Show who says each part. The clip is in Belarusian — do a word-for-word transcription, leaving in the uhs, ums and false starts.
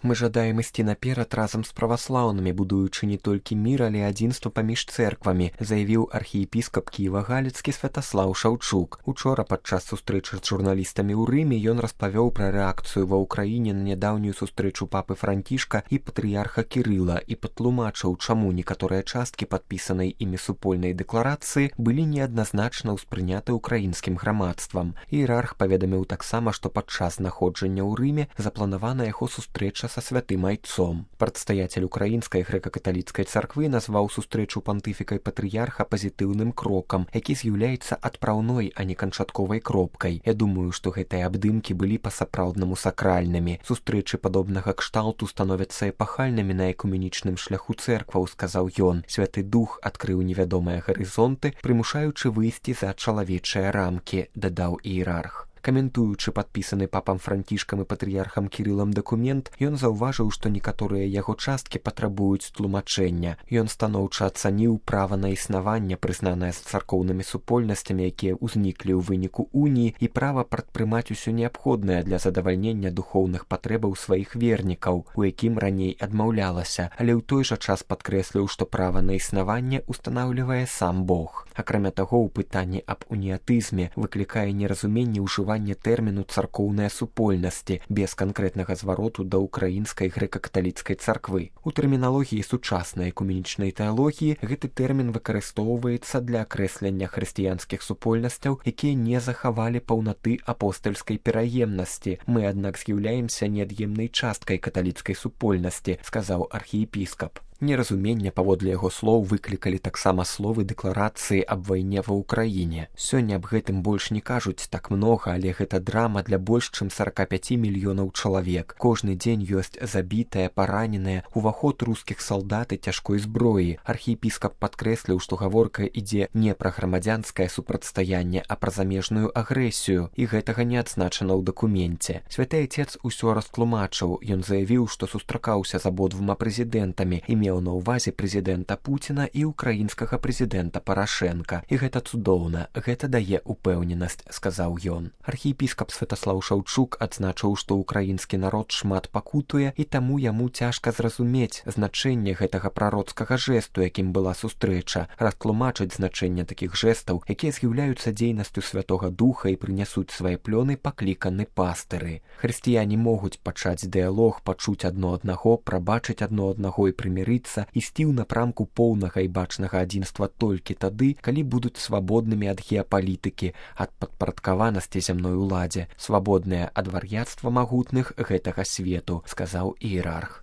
Speaker 1: Мы жадаем ісці наперад разам з праваслаўнымі, будуючы не толькі мір, але адзінства паміж цэрквамі, заявіў архіепіскап Кіева-Галіцкі Святаслаў Шаўчук. Учора падчас сустрэчы з журналістамі ў Рыме ён распавёў пра рэакцыю ва ўкраіне на нядаўнюю сустрэчу папы Францішка і патрыярха Кірыла і патлумачыў, чаму некаторыя часткі падпісанай імі супольнай дэкларацыі былі неадназначна ўспрыняты ўкраінскім грамадствам. Іерарх паведаміў таксама, што падчас знаходжання ў Рыме запланавана яго сустрэча са святым айцом. Прадстаяцель украінскай грэка-каталіцкай царквы назваў сустрэчу пантыфіка і патрыярха пазітыўным крокам, які з'яўляецца адпраўной, а не канчатковай кропкай. Я думаю, што гэтыя абдымкі былі па-сапраўднаму сакральнымі. Сустрэчы падобнага кшталту становяцца эпахальнымі на экуменічным шляху цэркваў, сказаў ён. Святы дух адкрыў невядомыя гарызонты, прымушаючы выйсці за чалавечыя рамкі, дадаў іерарх. Каментуючы падпісаны папам Францішкам і патрыярхам Кірылам дакумент, ён заўважыў, што некаторыя яго часткі патрабуюць тлумачэння. Ён станоўча ацаніў права на існаванне, прызнанае з царкоўнымі супольнасцямі, якія ўзніклі ў выніку уніі, і права прадпрымаць усё неабходнае для задавальнення духоўных патрэбаў сваіх вернікаў, у якім раней адмаўлялася, але ў той жа час падкрэсліў, што права на існаванне ўстанаўлівае сам Бог. Акрамя таго, у пытанні аб уніятызме выклікае неразуменне ўжывання тэрміну царкоўныя супольнасці без канкрэтнага звароту да ўкраінскай грэка-каталіцкай царквы. У тэрміналогіі сучаснай экуменічнай тэалогіі гэты тэрмін выкарыстоўваецца для акрэслення хрысціянскіх супольнасцяў, якія не захавалі паўнаты апостальскай пераемнасці. Мы, аднак, з'яўляемся неад'емнай часткай каталіцкай супольнасці, сказаў архіепіскап. Неразуменне, паводле яго слоў, выклікалі таксама словы дэкларацыі аб вайне ва ўкраіне. Сёння аб гэтым больш не кажуць так многа, але гэта драма для больш чым сорок пять мільёнаў чалавек. Кожны дзень ёсць забітыя, параненыя, уваход рускіх салдат і цяжкой зброі. Архіепіскап падкрэсліў, што гаворка ідзе не пра грамадзянскае супрацьстаянне, а пра замежную агрэсію, і гэтага не адзначана ў дакуменце. Святы айцец усё растлумачыў. Ён заявіў, што сустракаўся з абодвума прэзідэнтамі і меў на ўвазе прэзідэнта Пуціна і ўкраінскага прэзідэнта Парашэнка. І гэта цудоўна, гэта дае упэўненасць, сказаў ён. Архіепіскап Святаслаў Шаўчук адзначыў, што ўкраінскі народ шмат пакутуе, і таму яму цяжка зразумець значэнне гэтага прароцкага жэсту, якім была сустрэча, растлумачыць значэнне такіх жэстаў, якія з'яўляюцца дзейнасцю Святога Духа і прынясуць свае плёны пакліканы пастыры. Хрысціяне могуць пачаць дыялог, пачуць адно аднаго, прабачыць адно аднаго і прымірыць, ісці ў напрамку поўнага і бачнага адзінства толькі тады, калі будуць свабоднымі ад геапалітыкі, ад падпарадкаванасці зямной уладзе, свабодныя ад вар'яцтва магутных гэтага свету, сказаў іерарх.